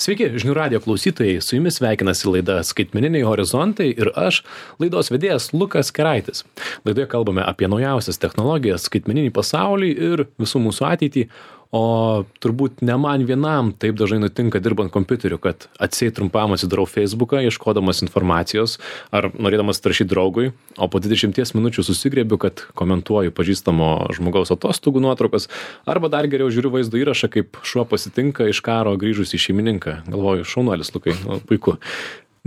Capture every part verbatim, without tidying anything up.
Sveiki, žinių radijo klausytojai, su jumis sveikinasi laida Skaitmeniniai horizontai ir aš, laidos vedėjas Lukas Keraitis. Laidoje kalbame apie naujausias technologijas, skaitmeninį pasaulį ir visų mūsų ateitį, o turbūt ne man vienam taip dažnai nutinka dirbant kompiuteriu, kad atsieit trumpam atsidarau Facebooką, ieškodamas informacijos ar norėdamas rašyti draugui, o po dvidešimties minučių susigriebiu, kad komentuoju pažįstamo žmogaus atostogų nuotraukas, arba dar geriau žiūriu vaizdo įrašą, kaip šuo pasitinka iš karo grįžusį šeimininką. Galvoju, šaunuolis, Lukai, nu, puiku.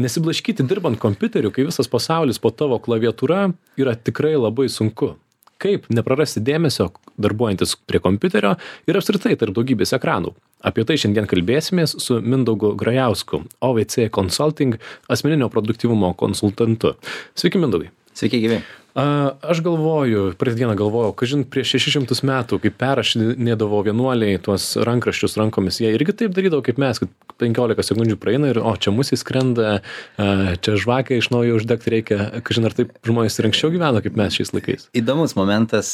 Nesiblaškyti dirbant kompiuteriu, kai visas pasaulis po tavo klaviatūra, yra tikrai labai sunku. Kaip neprarasti dėmesio darbuojantis prie kompiuterio ir apskritai tarp daugybės ekranų. Apie tai šiandien kalbėsimės su Mindaugu Grajausku, O V C Consulting asmeninio produktyvumo konsultantu. Sveiki, Mindaugai. Sveiki, gyvi. Aš galvoju, praeitą dieną galvojau, kažin prieš šešis šimtus metų, kai perrašinėdavo vienuoliai tuos rankraščius rankomis, jie irgi taip darydavo kaip mes, kad penkiolika sekundžių praeina ir, o, čia musė skrenda, čia žvakę iš naujo uždegti reikia, kažin ar taip žmonės ir anksčiau gyveno kaip mes šiais laikais. Įdomus momentas,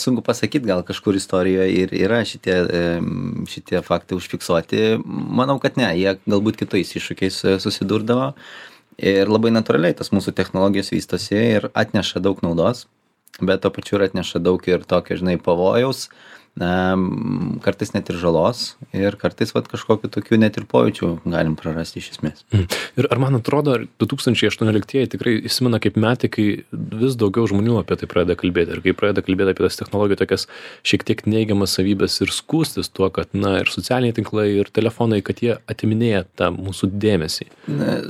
sunku pasakyti, gal kažkur istorijoje ir yra šitie, šitie faktai užfiksuoti. Manau, kad ne, jie galbūt kitais iššūkiais susidurdavo. Ir labai natūraliai tas mūsų technologijos vystosi ir atneša daug naudos, bet to pačiu ir atneša daug ir tokio, žinai, pavojaus, kartais net ir žalos ir kartais vat kažkokiu tokiu net ir pojūčių galim prarasti iš esmės. Mm. Ir ar man atrodo, du tūkstančiai aštuonioliktieji tikrai įsimena kaip metai, kai vis daugiau žmonių apie tai pradeda kalbėti ir kai pradeda kalbėti apie tas technologijų tokias šiek tiek neigiamas savybės ir skųstis tuo, kad, na, ir socialiniai tinklai, ir telefonai, kad jie atiminėja tą mūsų dėmesį.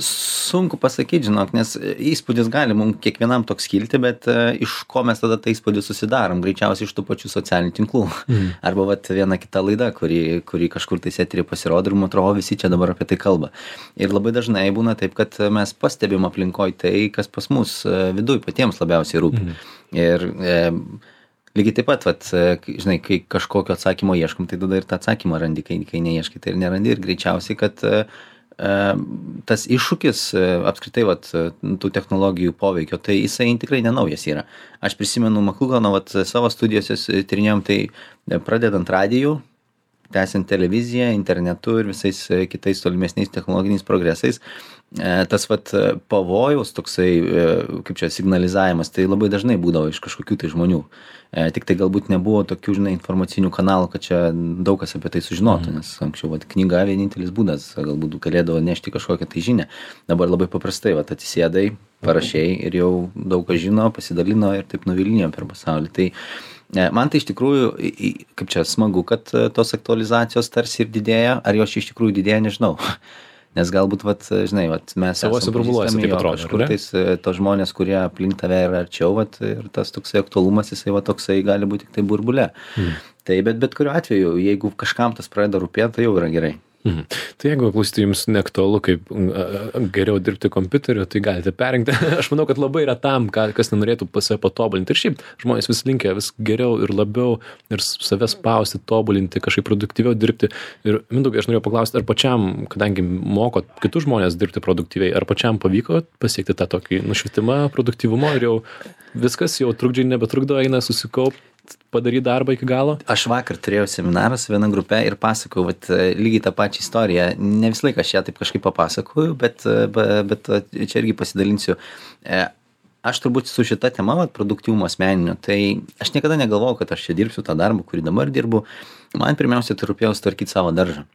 Sunku pasakyti, žinok, nes įspūdis gali mums kiekvienam toks kilti, bet uh, iš ko mes tada tą įspūdį susidarom? Greičiausiai iš tų pačių socialinių tinklų. Mm. Arba vat viena kita laida, kuri, kuri kažkur tai eteryje pasirodo ir man atrodo visi čia dabar apie tai kalba. Ir labai dažnai būna taip, kad mes pastebim aplinkoj tai, kas pas mus viduj patiems labiausiai rūpi. Mm. Ir e, lygiai taip pat, vat, žinai, kai kažkokio atsakymo ieškom, tai tada ir tą atsakymą randi, kai, kai neieškai, tai ir nerandi. Ir greičiausiai, kad e, tas iššūkis apskritai vat, tų technologijų poveikio, tai jisai tikrai nenaujas yra. Aš prisimenu Maklugono vat, savo studijose tyrinėjom, tai pradedant radijų, tęsiant televiziją, internetu ir visais kitais tolimesniais technologiniais progresais, tas vat pavojaus toksai, kaip čia, signalizavimas, tai labai dažnai būdavo iš kažkokių tai žmonių. Tik tai galbūt nebuvo tokių, žinai, informacinių kanalų, kad čia daug kas apie tai sužinotų, nes anksčiau vat, knyga vienintelis būdas, galbūt galėdavo nešti kažkokią tai žinią. Dabar labai paprastai, vat, atsisėdai, parašiai ir jau daug kas žino, pasidalino ir taip nuvilnijo per pasaulį. Tai man tai iš tikrųjų, kaip čia, smagu, kad tos aktualizacijos tarsi ir didėja, ar jos iš tikrųjų didėja, nežinau. Nes galbūt, vat, žinai, vat, mes savose burbuluose taip atrodo, kažkur tais tos žmonės, kurie aplink tave yra arčiau, vat, ir tas toksai aktualumas, jisai va, toksai gali būti tik tai burbule. Hmm. Tai bet, bet kuriuo atveju, jeigu kažkam tas pradeda rūpėti, tai jau yra gerai. Mhm. Tai jeigu klausyti jums neaktualu, kaip geriau dirbti kompiuteriu, tai galite perrinkti. Aš manau, kad labai yra tam, kas nenorėtų save patobulinti. Ir šiaip žmonės vis linkia vis geriau ir labiau ir save spausti, tobulinti, kažkaip produktyviau dirbti. Ir Mindaugai, aš norėjau paklausti, ar pačiam, kadangi mokot kitus žmonės dirbti produktyviai, ar pačiam pavyko pasiekti tą tokį nušvitimą produktyvumo ir jau viskas, jau trukdžiai nebetrukdo, eina susikaupti, padaryti darbą iki galo? Aš vakar turėjau seminarą su viena grupe ir pasakojau, vat, lygiai tą pačią istoriją. Ne visą laiką aš ją taip kažkaip papasakoju, bet, bet čia irgi pasidalinsiu. Aš turbūt su šita tema, vat, produktyvumo asmeninio, tai aš niekada negalvojau, kad aš čia dirbsiu tą darbą, kurį dabar dirbu. Man pirmiausia, tai rūpėjo sutvarkyti savo daržą.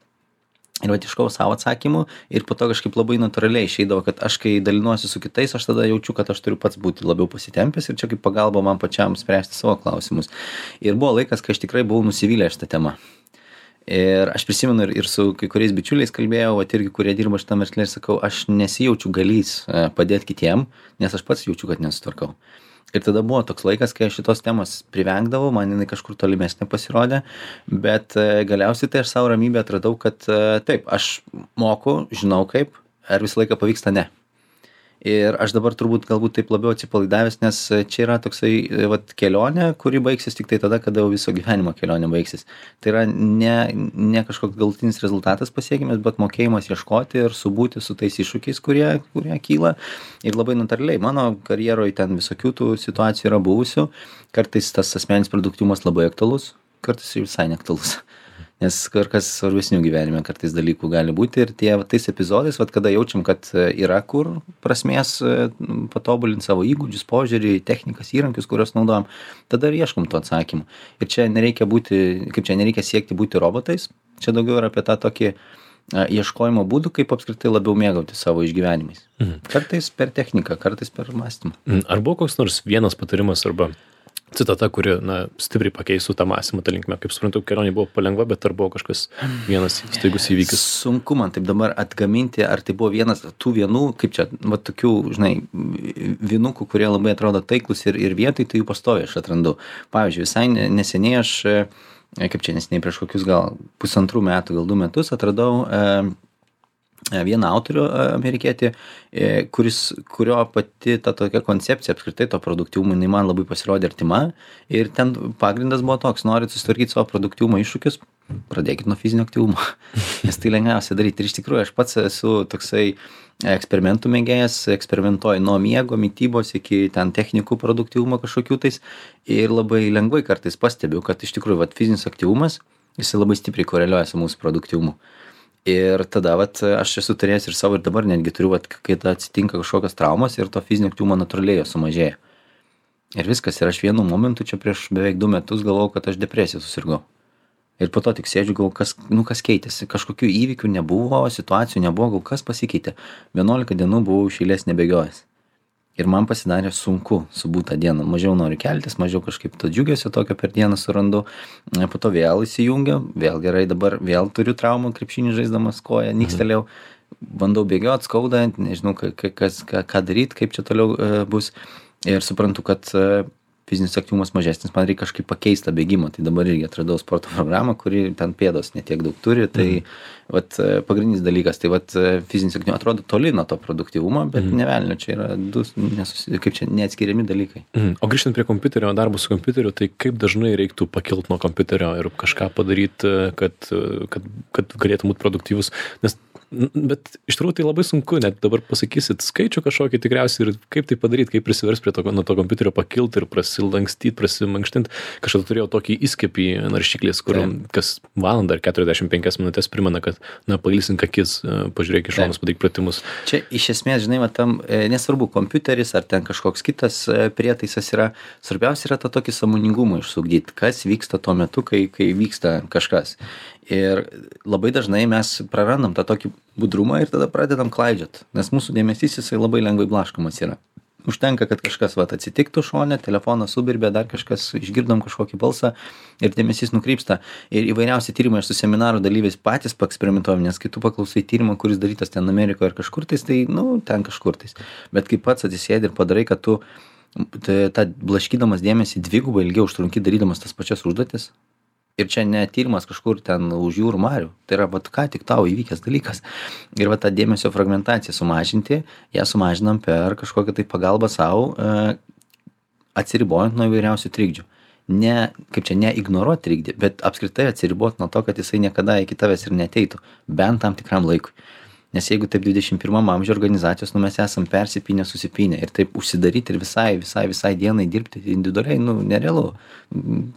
Ir vat iškau savo atsakymų ir po to kažkaip labai natūraliai išeidavo, kad aš kai dalinuosi su kitais, aš tada jaučiu, kad aš turiu pats būti labiau pasitempęs ir čia kaip pagalba man pačiam spręsti savo klausimus. Ir buvo laikas, kai aš tikrai buvau nusivylęs šitą temą. Ir aš prisimenu ir, ir su kai kuriais bičiuliais kalbėjau, vat irgi, kurie dirba šitam versle ir sakau, aš nesijaučiu galys padėti kitiem, nes aš pats jaučiu, kad nesutvarkau. Ir tada buvo toks laikas, kai aš šitos temos privengdavau, man jinai kažkur tolimesnė pasirodė, bet galiausiai tai aš savo ramybę atradau, kad taip, aš moku, žinau kaip, ar visą laiką pavyksta, ne. Ir aš dabar turbūt galbūt taip labiau atsipalaidavęs, nes čia yra toksai vat, kelionė, kuri baigsis tik tai tada, kada jau viso gyvenimo kelionė baigsis. Tai yra ne, ne kažkoks galutinis rezultatas pasiekimas, bet mokėjimas ieškoti ir subūti su tais iššūkiais, kurie, kurie kyla. Ir labai natūraliai, mano karjeroje ten visokių tų situacijų yra buvusių. Kartais tas asmeninis produktyvumas labai aktualus, kartais visai neaktualus. nes kur kas svarbesnių gyvenime kartais dalykų gali būti ir tie tais epizodais, vat, kada jaučiam, kad yra kur prasmės patobulinti savo įgūdžius, požiūrį, technikas, įrankius, kuriuos naudojam, tada ir ieškom to atsakymų. Ir čia nereikia būti, kaip čia nereikia siekti būti robotais, čia daugiau yra apie tą tokį ieškojimo būdų, kaip apskritai labiau mėgauti savo išgyvenimais. Mhm. Kartais per techniką, kartais per mąstymą. Ar buvo koks nors vienas patarimas arba citata, kuri, na, stipriai pakeistų tą mąstymą, tą linkmę? Kaip suprantu, kelionė buvo palengva, bet ar buvo kažkas vienas staigus įvykis? Sunku man taip dabar atgaminti, ar tai buvo vienas tų vienų, kaip čia, va tokių, žinai, vienukų, kurie labai atrodo taiklus ir, ir vietoj, tai jų pastoviai aš atrandu. Pavyzdžiui, visai neseniai aš, kaip čia neseniai prieš kokius gal pusantrų metų, gal du metus atradau e, vieną autorių amerikietį, e, kuris, kurio pati ta tokia koncepcija apskritai to produktyvumo, jinai man labai pasirodė artima ir ten pagrindas buvo toks, norit susitvarkyti savo produktyvumo iššūkius, pradėkit nuo fizinio aktyvumo, nes tai lengviausia daryti. Ir iš tikrųjų aš pats esu toksai eksperimentų mėgėjas, eksperimentuoju nuo miego, mitybos iki ten technikų produktyvumo kažkokių tais ir labai lengvai kartais pastebiu, kad iš tikrųjų vat, fizinis aktyvumas, jis labai stipriai koreliuoja su mūsų produktyvumu. Ir tada vat, aš esu turėjęs ir savo ir dabar netgi turiu, vat, kai atsitinka kažkokios traumos ir to fizinio aktyvumo natūraliai sumažėja. Ir viskas, ir aš vienu momentu čia prieš beveik du metus galvojau, kad aš depresiją susirgau. Ir po to tik sėdžiu, gal kas, nu, kas keitėsi, kažkokių įvykių nebuvo, situacijų nebuvo, gal kas pasikeitė. vienuolika dienų buvau iš eilės nebėgiojęs. Ir man pasidarė sunku subūt tą dieną. Mažiau noriu keltis, mažiau kažkaip to džiugesio tokio per dieną surandu. Po to vėl įsijungiu, vėl gerai, dabar vėl turiu traumą, krepšinį žaisdamas koją, nykstelėjau. Bandau bėgiot, skauda, nežinau, kas, ką, ką daryti, kaip čia toliau uh, bus. Ir suprantu, kad uh, fizinis aktyvumas mažesnis, man reikia kažkaip pakeisti tą bėgimą. Tai dabar irgi atradau sporto programą, kuri ten pėdos netiek daug turi. Tai mhm. vat, pagrindinis dalykas, tai vat, fizinis aktyvumas atrodo toli nuo to produktyvumo, bet mhm. nevelnio, čia yra du, nesusi, kaip čia, neatskiriami dalykai. Mhm. O grįžtant prie kompiuterio, darbo su kompiuteriu, tai kaip dažnai reiktų pakilti nuo kompiuterio ir kažką padaryti, kad, kad, kad galėtų būti produktyvus? Nes bet iš tikrųjų tai labai sunku, net dabar pasakysit skaičių kažkokį tikriausiai ir kaip tai padaryti, kaip prisiversti prie to, nuo to kompiuterio pakilti ir prasilankstyti, prasimankštinti. Kažkada turėjau tokį įskiepį naršyklės, kur Taip. kas valandą ar keturiasdešimt penkias minutės primena, kad, na, pailsink akis, pažiūrėk iš šonus, padaryk pratimus. Čia iš esmės, žinai, va, tam nesvarbu kompiuteris ar ten kažkoks kitas prietaisas yra, svarbiausia yra tą tokį sąmoningumą išsugdyti, kas vyksta tuo metu, kai, kai vyksta kažkas. Ir labai dažnai mes prarandam tą tokį budrumą ir tada pradedam klaidžiot, nes mūsų dėmesys jisai labai lengvai blaškomas yra. Užtenka, kad kažkas vat, atsitiktų šone, telefonas subirbė, dar kažkas, išgirdom kažkokį balsą ir dėmesys nukrypsta. Ir įvairiausi tyrimai, aš su seminaro dalyviais patys paeksperimentuojam, nes kai tu paklausai tyrimą, kuris darytas ten Amerikoje ar kažkur tais, tai, nu, ten kažkur tais. Bet kai pats atsisėdi ir padarai, kad tu tą blaškydamas dėmesį dvigubai ilgiau užtrunki darydamas tas pačias užduotis. Ir čia ne tyrimas kažkur ten už jūrų marių. Tai yra, vat, ką tik tau įvykęs dalykas. Ir va tą dėmesio fragmentaciją sumažinti, ją sumažinam per kažkokią tai pagalbą savo, atsiribojant nuo įvairiausių trikdžių. Ne, kaip čia, neignoruoti trikdį, bet apskritai atsiriboti nuo to, kad jisai niekada iki tavęs ir neteitų. Bent tam tikram laikui. Nes jeigu taip dvidešimt pirmam amžiuje organizacijos, nu mes esam persipynę, susipynę ir taip užsidaryti ir visai, visai, visai dienai dirbti individualiai, nu nerealu.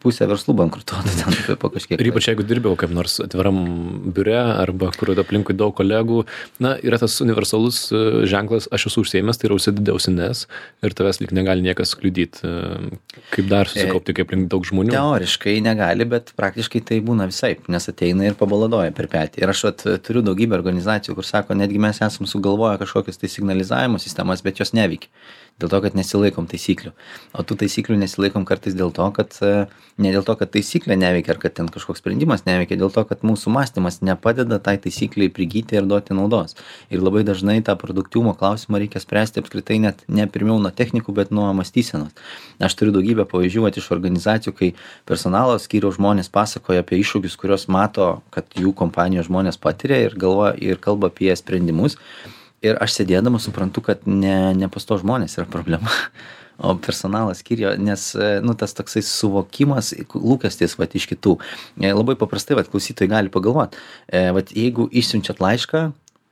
Pusė verslų bankrutuotų ten po kažkiek. Ir ypač jeigu dirbėjau kaip nors atviram biure arba kur aplinkui daug kolegų, na, yra tas universalus ženklas, aš esu užsiėmęs, tai yra užsidėdė ausines ir tavęs lyg negali niekas kliudyti. Kaip dar susikaupti, kaip link daug žmonių? Teoriškai negali, bet praktiškai tai būna visaip, nes ateina ir pabaladoja per petį. Ir aš at, turiu daugybę organizacijų, kur sako, netgi mes esam sugalvoję kažkokias tai signalizavimo sistemas, bet jos neveikia. Dėl to, kad nesilaikom taisyklių. O tų taisyklių nesilaikom kartais dėl to, kad ne dėl to, kad taisyklė neveikia ar kad ten kažkoks sprendimas neveikia, dėl to, kad mūsų mąstymas nepadeda tai taisykliai prigyti ir duoti naudos. Ir labai dažnai tą produktyvumo klausimą reikia spręsti apskritai net ne pirmiau nuo technikų, bet nuo mąstysenos. Aš turiu daugybę pavyzdžių iš organizacijų, kai personalo skyriaus žmonės pasakoja apie iššūkius, kuriuos mato, kad jų kompanijos žmonės patiria ir galvoja ir kalba apie sprendimus. Ir aš sėdėdamas suprantu, kad ne, ne pas to žmonės yra problema, o personalas skyriuje, nes, nu, tas toksai suvokimas, lūkestis, vat, iš kitų. Labai paprastai, vat, klausytojai gali pagalvoti, vat, jeigu išsiunčiat laišką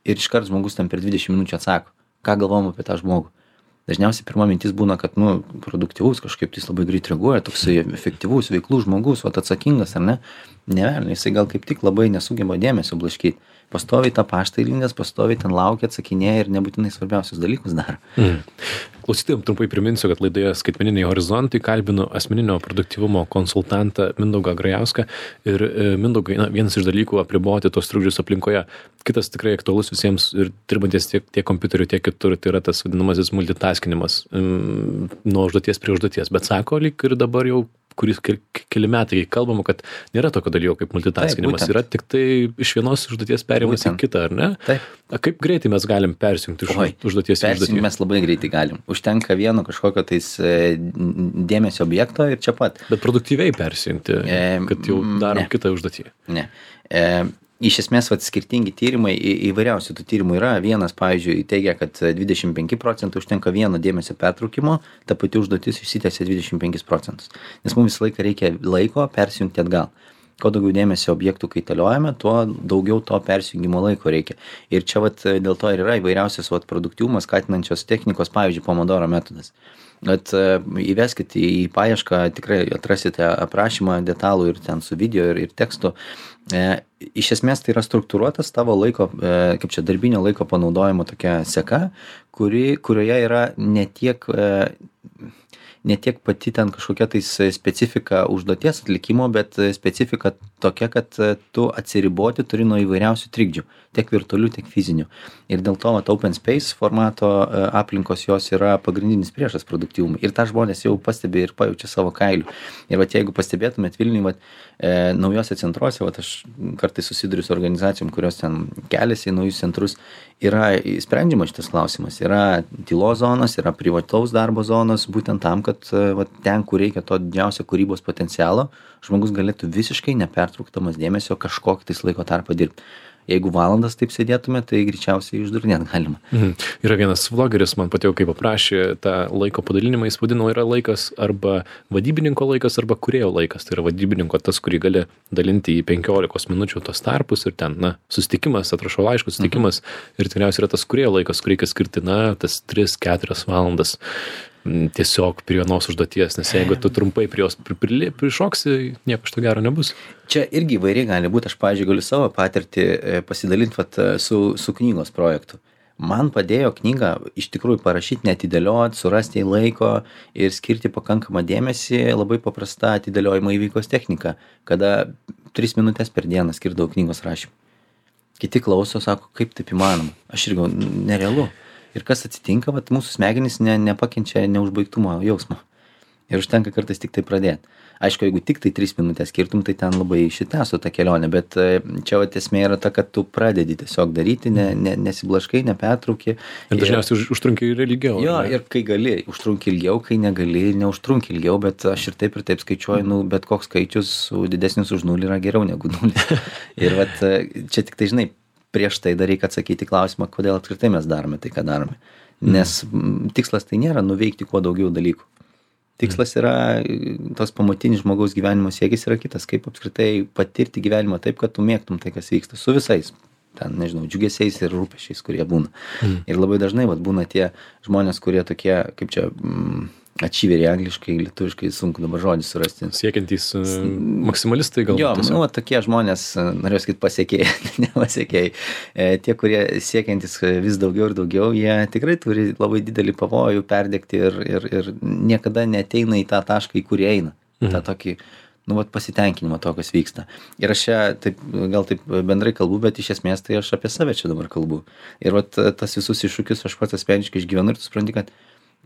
ir iškart žmogus ten per dvidešimt minučių atsako, ką galvom apie tą žmogų. dažniausiai pirma mintis būna, kad, nu, produktyvus kažkaip tai labai greit reaguoja, toksai efektyvus, veiklus žmogus, o atsakingas, ar ne? Ne, jisai gal kaip tik labai nesugeba dėmesio blaškyti. Pastoviai tą paštą įlindęs, pastoviai ten laukia, atsakinėja ir nebūtinai svarbiausius dalykus daro. Mm. Klausytojams trumpai priminsiu, kad laidoje Skaitmeniniai horizontai kalbinu asmeninio produktyvumo konsultantą Mindaugą Grajauską ir Mindaugai, na, vienas iš dalykų apriboti tos trukdžius aplinkoje. Kitas tikrai aktualus visiems ir dirbantis tiek, tiek kompiuteriu, tiek kitur, tai yra tas vadinamasis multitaskinimas mm, nuo užduoties prie užduoties. Bet sako, lyg ir dabar jau kuris keli metai kalbama, kad nėra tokio dalyko kaip multitaskinimas, yra tik tai iš vienos užduoties perėjimas į kitą, ar ne? Taip. A, kaip greitai mes galim persijungti iš Oi, užduoties į užduotį? Mes labai greitai galim. Užtenka vieno kažkokio tais dėmesio objekto ir čia pat. Bet produktyviai persijungti, e, kad jau darom ne. kitą užduotį. Ne. E, Iš esmės, vat, skirtingi tyrimai, į, įvairiausių tų tyrimų yra. Vienas, pavyzdžiui, teigia, kad dvidešimt penki procentai užtenka vieno dėmesio pertraukimo, ta pati užduotis išsitęsia dvidešimt penkis procentus. Nes mums visą laiką reikia laiko persijungti atgal. Kuo daugiau dėmesio objektų kaitaliojame, tuo daugiau to persijungimo laiko reikia. Ir čia vat, dėl to ir yra įvairiausios vat, produktyvumas skatinančios technikos, pavyzdžiui, Pomodoro metodas. Bet įveskite į paiešką, tikrai atrasite aprašymą detalų ir ten su video ir, ir tekstu. E, iš esmės tai yra struktūruotas tavo laiko, e, kaip čia darbinio laiko panaudojimo tokia seka, kuri, kurioje yra ne tiek, e, ne tiek pati ten kažkokia tais specifika užduoties atlikimo, bet specifika tokia, kad tu atsiriboti turi nuo įvairiausių trikdžių, tiek virtualių, tiek fizinių. Ir dėl to vat, open space formato aplinkos jos yra pagrindinis priešas produktyvumui. Ir tą žmonės jau pastebi ir pajaučia savo kailių. Ir vat, jeigu pastebėtumėt Vilniui, vat, e, naujose centruose, vat, aš kartais susiduriu su organizacijom, kurios ten keliasi į naujus centrus, yra sprendžiamas šitas klausimas. Yra tylos zonos, yra privataus darbo zonos, būtent tam, kad vat, ten, kur reikia to didžiausio kūrybos potencialo, žmogus galėtų visiškai nepertrauktamas dėmesio kažkokį tais laiko tarpą dirbti. Jeigu valandas taip sėdėtume, tai greičiausiai išdurnėt galima. Mhm. Yra vienas vlogeris, man patiko, kaip aprašė tą laiko padalinimą, jis vadino, yra laikas arba vadybininko laikas, arba kūrėjo laikas. Tai yra vadybininko tas, kurį gali dalinti į penkiolikos minučių tos tarpus ir ten, na, susitikimas, atrašau laiškus, susitikimas mhm. ir tikriausiai yra tas kūrėjo laikas, kur reikia skirti, na, tas tris keturias valandas tiesiog prie vienos užduoties, nes jeigu tu trumpai prie jos prišoksi, nieko iš to gero nebus. Čia irgi įvairiai gali būti, aš, pavyzdžiui, galiu savo patirtį pasidalinti vat, su, su knygos projektu. Man padėjo knygą iš tikrųjų parašyti, neatidėlioti, surasti laiko ir skirti pakankamą dėmesį labai paprasta atidėliojimo įveikos technika, kada tris minutės per dieną skirdavau knygos rašymui. Kiti klauso, sako, kaip taip įmanoma. Aš irgi nerealu. Ir kas atsitinka, vat, mūsų smegenys ne, nepakenčia neužbaigtumo jausmo. Ir užtenka kartais tik tai pradėti. Aišku, jeigu tik tai tris minutės skirtum, tai ten labai išsitęstų tą kelionę, bet čia vat, esmė yra ta, kad tu pradedi tiesiog daryti, ne, ne, nesiblaškai, nepertrauki. Ir dažniausiai ir, užtrunki ir ilgiau. Jo, ne? Ir kai gali, užtrunki ilgiau, kai negali, neužtrunki ilgiau, bet aš ir taip ir taip skaičiuoju, nu, bet koks skaičius didesnis už nulį yra geriau negu nulis. Ir vat, čia tik tai, žinai, prieš tai dar reikia atsakyti klausimą, kodėl apskritai mes darome tai, ką darome. Nes mm. tikslas tai nėra nuveikti kuo daugiau dalykų. Tikslas yra, tos pamatinis žmogaus gyvenimo siekis yra kitas, kaip apskritai patirti gyvenimą taip, kad tu mėgtum tai, kas vyksta su visais, ten, nežinau, džiugesiais ir rūpesčiais, kurie būna. Mm. Ir labai dažnai vat, būna tie žmonės, kurie tokie, kaip čia, mm, achieveriai angliškai, lietuviškai sunku dabar žodį surasti. Siekiantys uh, maksimalistai galbūt. Jo, nu, tokie žmonės, norėjau sakyti, pasiekėjai, ne pasiekėjai. E, tie, kurie siekiantys vis daugiau ir daugiau, jie tikrai turi labai didelį pavojų perdegti ir, ir, ir niekada neateina į tą tašką, į kurį eina. Mhm. tą tokį, nu, vat, pasitenkinimą to, kas vyksta. Ir aš čia taip, gal taip bendrai kalbu, bet iš esmės tai aš apie save čia dabar kalbu. Ir vat, tas visus iššūkius aš pats asmeniškai išgyvenu ir tu supranti, kad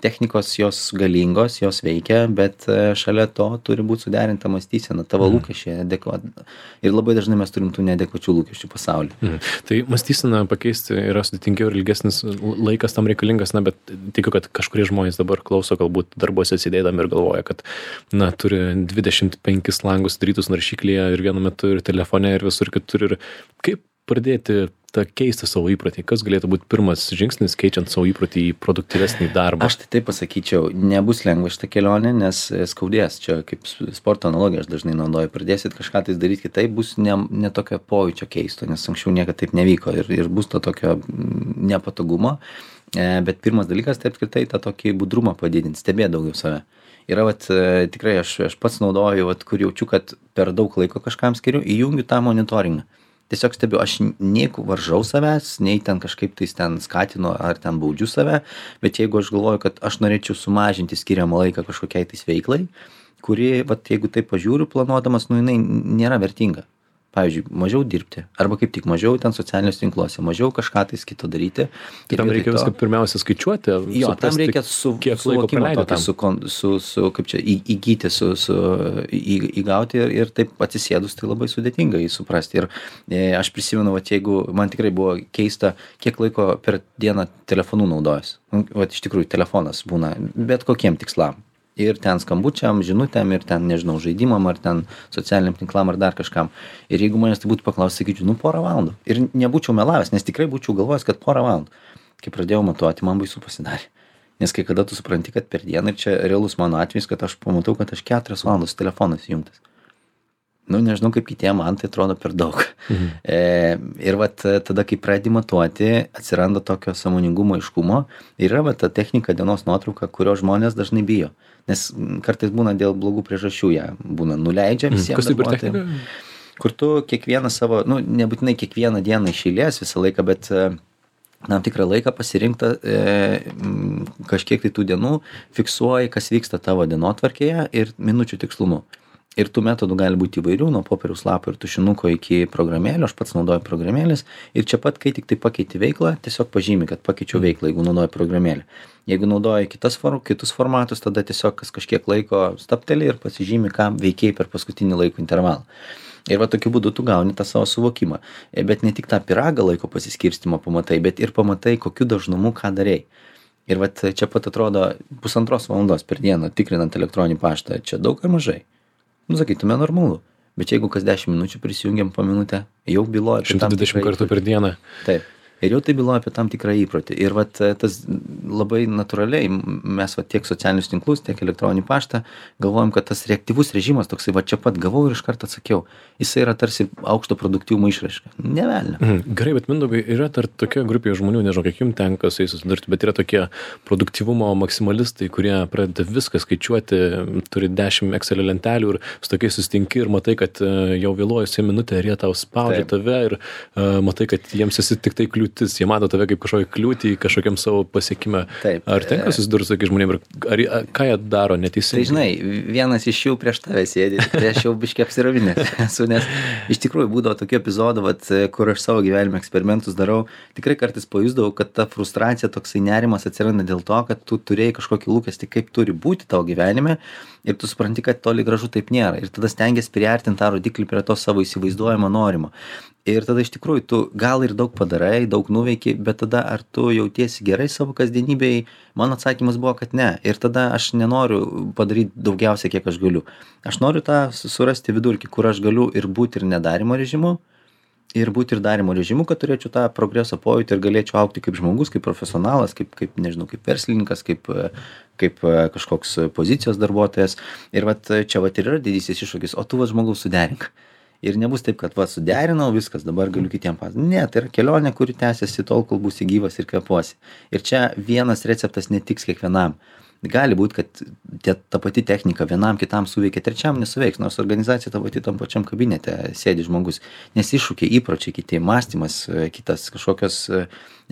technikos jos galingos, jos veikia, bet šalia to turi būti suderinta mąstysena, tavo mm. lūkesčiai adekvat. Ir labai dažnai mes turim tų neadekvačių lūkesčių pasaulyje. Mm. Tai mąstysena pakeisti yra sudėtingiau ir ilgesnis laikas tam reikalingas, na, bet tikiu, kad kažkurie žmonės dabar klauso, galbūt darbuose sėdėdami ir galvoja, kad, na, turi dvidešimt penkis langus darytus naršyklėje ir vienu metu ir telefone ir visur kitur. Ir kaip pradėti tą keisti savo įprotį? Kas galėtų būti pirmas žingsnis, keičiant savo įprotį į produktyvesnį darbą? Aš tai taip pasakyčiau, nebus lengva šitą kelionę, nes skaudės. Čia kaip sporto analogija aš dažnai naudoju. Pradėsit kažką tai daryti kitaip, bus ne, ne tokio pojūčio keisto, nes anksčiau niekada taip nevyko ir, ir bus to tokio nepatogumo. Bet pirmas dalykas, tai apskritai tą tokį budrumą padidinti, stebėti daugiau save. Yra, vat, tikrai aš, aš pats naudoju, vat, kur jaučiu, kad per daug laiko kažkam skiriu, įjungiu tą monitoringą. Tiesiog stebiu, aš nei varžau savęs, nei ten kažkaip tais ten skatinu ar ten baudžiu save, bet jeigu aš galvoju, kad aš norėčiau sumažinti skiriamą laiką kažkokiai tais veiklai, kuri, vat, jeigu taip pažiūriu planuodamas, nu jinai nėra vertinga. Pavyzdžiui, mažiau dirbti, arba kaip tik mažiau ten socialiniuose tinkluose, mažiau kažką tais kito daryti. Tam reikia to... viską pirmiausia skaičiuoti, jo, suprasti, tam reikia su, suvokimo tokį, su, su, su, kaip čia, į, įgyti, su, su, į, įgauti ir, ir taip atsisėdus, tai labai sudėtinga jį suprasti. Ir e, aš prisimenu, vat, jeigu man tikrai buvo keista, kiek laiko per dieną telefonų naudojus. Vat, iš tikrųjų, telefonas būna bet kokiem tikslam. Ir ten skambučiam, žinutėm, ir ten, nežinau, žaidimam, ar ten socialiniam tinklam, ar dar kažkam. Ir jeigu manęs tai būtų paklausęs, sakyčiau, nu porą valandų. Ir nebūčiau melavęs, nes tikrai būčiau galvojęs, kad porą valandų. Kai pradėjau matuoti, man baisu pasidarė. Nes kai kada tu supranti, kad per dieną, ir čia realus mano atvejis, kad aš pamatau, kad aš keturias valandas telefonas įjungtas. Nu, nežinau, kaip kitiem, man tai atrodo per daug. Mhm. E, ir vat tada, kai pradedi matuoti, atsiranda tokio sąmoningumo aiškumo. Ir yra vat ta technika dienos nuotrauka, kurio žmonės dažnai bijo. Nes kartais būna dėl blogų priežasčių, ją būna nuleidžia visiems. Kas tai per technika? Kur tu kiekvieną savo, nu, nebūtinai kiekvieną dieną iš eilės visą laiką, bet tam tikrą laiką pasirinktą e, kažkiek tai tų dienų fiksuoji, kas vyksta tavo dienotvarkėje ir minučių tikslumu. Ir tų metodų gali būti įvairių, nuo popieriaus lapo ir tušinuko iki programėlio, aš pats naudoju programėlės. Ir čia pat, kai tik tai pakeiti veiklą, tiesiog pažymi, kad pakeičiau veiklą, jeigu naudoju programėlę. Jeigu naudoju kitas, kitus formatus, tada tiesiog kas kažkiek laiko stapteli ir pasižymi, ką veikiai per paskutinį laiko intervalą. Ir va tokiu būdu tu gauni tą savo suvokimą. Bet ne tik tą pyragą laiko pasiskirstimo pamatai, bet ir pamatai, kokiu dažnumu ką darei. Ir va čia pat atrodo pusantros valandos per dieną tikrinant elektroninį paštą, čia daug ar mažai. Nu, sakytume, normalu. Bet jeigu kas dešimt minučių prisijungiam po minutę, jau byloja apie šimtas dvidešimt kartų per dieną. Taip. Ir jau tai byloja apie tam tikrą įprotį. Ir vat tas labai natūraliai, mes vat tiek socialinius tinklus, tiek elektroninį paštą, galvojam, kad tas reaktyvus režimas toksai, va čia pat gavau ir iš karto atsakiau. Jisai yra tarsi aukšto produktyvumo išraiška. Ne velnio. Mhm. Gerai, bet Mindaugai, yra dar tokia grupė žmonių, nežinau, kiek jums tenka su jais susidurti, bet yra tokie produktyvumo maksimalistai, kurie pradeda viską skaičiuoti, turi dešimt Excel lentelių ir su tokiais susitinki ir matai, kad jau vėluojusi minutę ir jie tau spaudžia tave ir uh, matai, kad jiems esi tik tai kliūtis, jie mato tave kaip kažkokią kliūtį kažkokiam savo pasiekime. Taip. Ar tenka susidurti su tokiais žmonėm ir ar, ar, ką jie daro neteisingai? Tai žinai, vienas iš jų prieš tave sėdi, tai aš jau biškiai apsiravinęs esu, nes iš tikrųjų būdavo tokių epizodų, vat, kur aš savo gyvenime eksperimentus darau, tikrai kartais pajusdavau, kad ta frustracija, toksai nerimas atsiranda dėl to, kad tu turėjai kažkokį lūkestį, kaip turi būti tavo gyvenime ir tu supranti, kad toli gražu taip nėra. Ir tada stengiasi priartinti tą rodiklį prie to savo įsivaizduojamo norimo. Ir tada iš tikrųjų tu gal ir daug padarai, daug nuveiki, bet tada ar tu jautiesi gerai savo kasdienybėj? Mano atsakymas buvo, kad ne. Ir tada aš nenoriu padaryti daugiausia, kiek aš galiu. Aš noriu tą surasti vidurkį, kur aš galiu ir būti ir nedarimo režimu, ir būti ir darimo režimu, kad turėčiau tą progreso pojūtį ir galėčiau augti kaip žmogus, kaip profesionalas, kaip, kaip nežinau, kaip verslininkas, kaip, kaip kažkoks pozicijos darbuotojas. Ir vat čia vat ir yra didysis iššūkis, o tu va žmogaus suderink. Ir nebus taip, kad va suderinau, viskas, dabar galiu kitiem pas. Ne, tai yra kelionė, kuri tęsiasi tol, kol būsi gyvas ir kvepuosi. Ir čia vienas receptas netiks kiekvienam. Gali būti, kad tie, ta pati technika vienam kitam suveikia, trečiam nesuveiks, nors organizacija ta pati tam pačiam kabinete sėdi žmogus. Nes iššūkiai, įpročiai kiti, mąstymas kitas, kažkokios,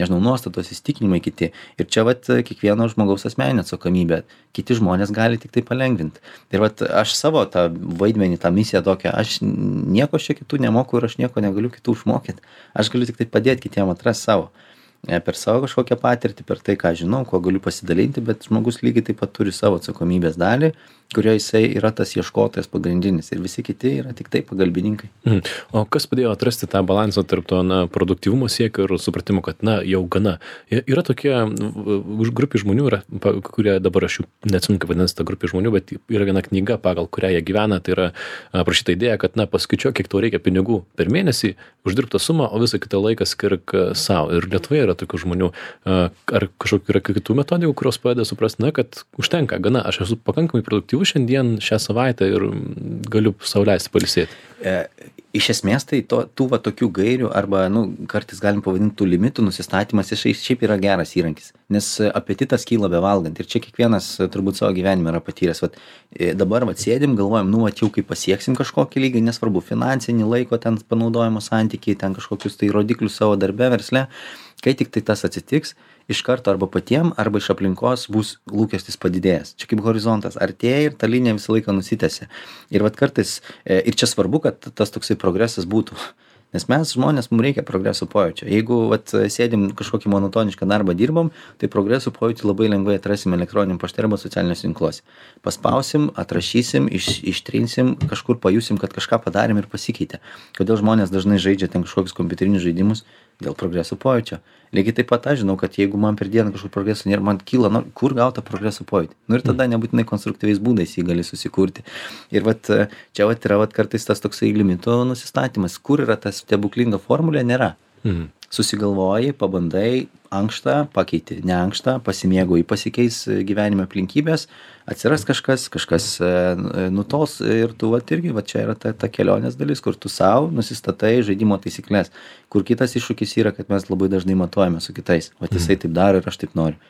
nežinau, nuostatos, įsitikinimai kiti. Ir čia vat kiekvieno žmogaus asmeninė atsakomybė. Kiti žmonės gali tik tai palengvinti. Ir vat aš savo tą vaidmenį, tą misiją tokią, aš nieko čia kitų nemoku ir aš nieko negaliu kitų išmokyti. Aš galiu tik tai padėti kitiem atrasti savo. Per savo kažkokią patirtį, per tai, ką žinau, kuo galiu pasidalinti, bet žmogus lygiai taip pat turi savo atsakomybės dalį, kurioje jisai yra tas ieškotojas pagrindinis ir visi kiti yra tik tai pagalbininkai. Mhm. O kas padėjo atrasti tą balansą tarp to na, produktyvumo siekio ir supratimo, kad na, jau gana. Yra tokie grupė žmonių, yra, kurie dabar aš jų neatsimenu, kaip vadinasi ta grupė žmonių, bet yra viena knyga, pagal kurią jie gyvena, tai yra aprašyta idėja, kad na, paskaičiuok, kiek tau reikia pinigų per mėnesį, uždirbtą sumą, o visą kitą laiką skirk savo. Ir Lietuvoje yra yra tokių žmonių. Ar kažkokių yra kitų metodikų, kurios padeda suprasti, na, kad užtenka, gana, aš esu pakankamai produktyvus šiandien šią savaitę ir galiu sau leisti pailsėti? E, iš esmės tai to, tų va tokių gairių arba, nu, kartais galim pavadinti tų limitų nusistatymas, jis šiaip yra geras įrankis, nes apetitas kyla bevalgant ir čia kiekvienas turbūt savo gyvenime yra patyręs. Vat, dabar vat sėdim, galvojam, nu, vat jau kai pasieksim kažkokį lygį, nesvarbu, finansinį laiko ten panaudojimo santykiai, ten kažkokius tai rodiklius savo darbe, versle, kai tik tai tas atsitiks, iš karto arba patiem, arba iš aplinkos bus lūkestis padidėjęs. Čia kaip horizontas artėja ir ta linija visą laiką nusitęsia. Ir vat kartais, ir čia svarbu, kad tas toksai progresas būtų. Nes mes žmonės, mums reikia progreso pojūčio. Jeigu vat, sėdim kažkokį monotonišką darbą dirbam, tai progreso pojūtį labai lengvai atrasim elektroniniam pašte arba socialiniuose tinkluose. Paspausim, atrašysim, iš, ištrinsim, kažkur pajusim, kad kažką padarėm ir pasikeitė. Kodėl žmonės dažnai žaidžia ten kažkokius kompiuterinius žaidimus? Dėl progreso pojūčio. Lygiai taip pat aš žinau, kad jeigu man per dieną kažkur progreso nėra, man kyla, nu, kur gauta progreso pojūtį. Nu ir tada nebūtinai konstruktyviais būdais jį gali susikurti. Ir vat, čia vat yra vat kartais tas toksai limito nusistatymas. Kur yra tas stebuklinga formulė, nėra. Mhm. Susigalvoji, pabandai, ankštą, pakeiti, ne ankštą, pasimėgauji, pasikeis gyvenime aplinkybės, atsiras kažkas, kažkas nutols ir tu vat irgi, vat čia yra ta, ta kelionės dalis, kur tu savo nusistatai žaidimo taisyklės, kur kitas iššūkis yra, kad mes labai dažnai matuojame su kitais, vat jisai taip daro ir aš taip noriu.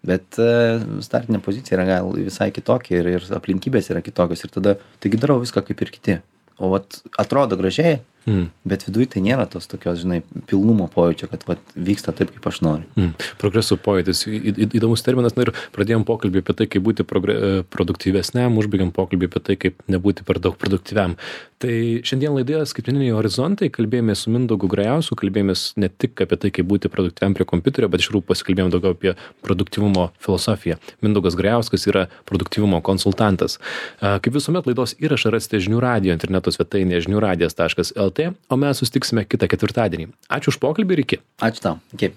Bet startinė pozicija yra gal visai kitokia ir, ir aplinkybės yra kitokios ir tada, taigi darau viską kaip ir kiti. O vat atrodo gražiai, mm. bet viduj tai nėra tos tokios, žinai, pilnumo pojūčio, kad vat vyksta taip, kaip aš noriu. Mm. Progreso pojūtis, į, į, įdomus terminas, na ir pradėjom pokalbį apie tai, kaip būti progre, produktyvesniam, užbaigėm pokalbį apie tai, kaip nebūti per daug produktyviam. Tai šiandien laidoje Skaitmeniniai horizontai kalbėjomės su Mindaugu Grajausku, kalbėjomės ne tik apie tai, kaip būti produktyviam prie kompiuterio, bet iš tikrųjų pasikalbėjom daugiau apie produktyvumo filosofiją. Mindaugas Grajauskas yra produktyvumo konsultantas. Kaip visuomet laidos įrašą rasite žinių radijo interneto svetainėje žinių radijas taškas lt, o mes susitiksime kitą ketvirtadienį. Ačiū už pokalbį ir iki. Ačiū tau. Iki.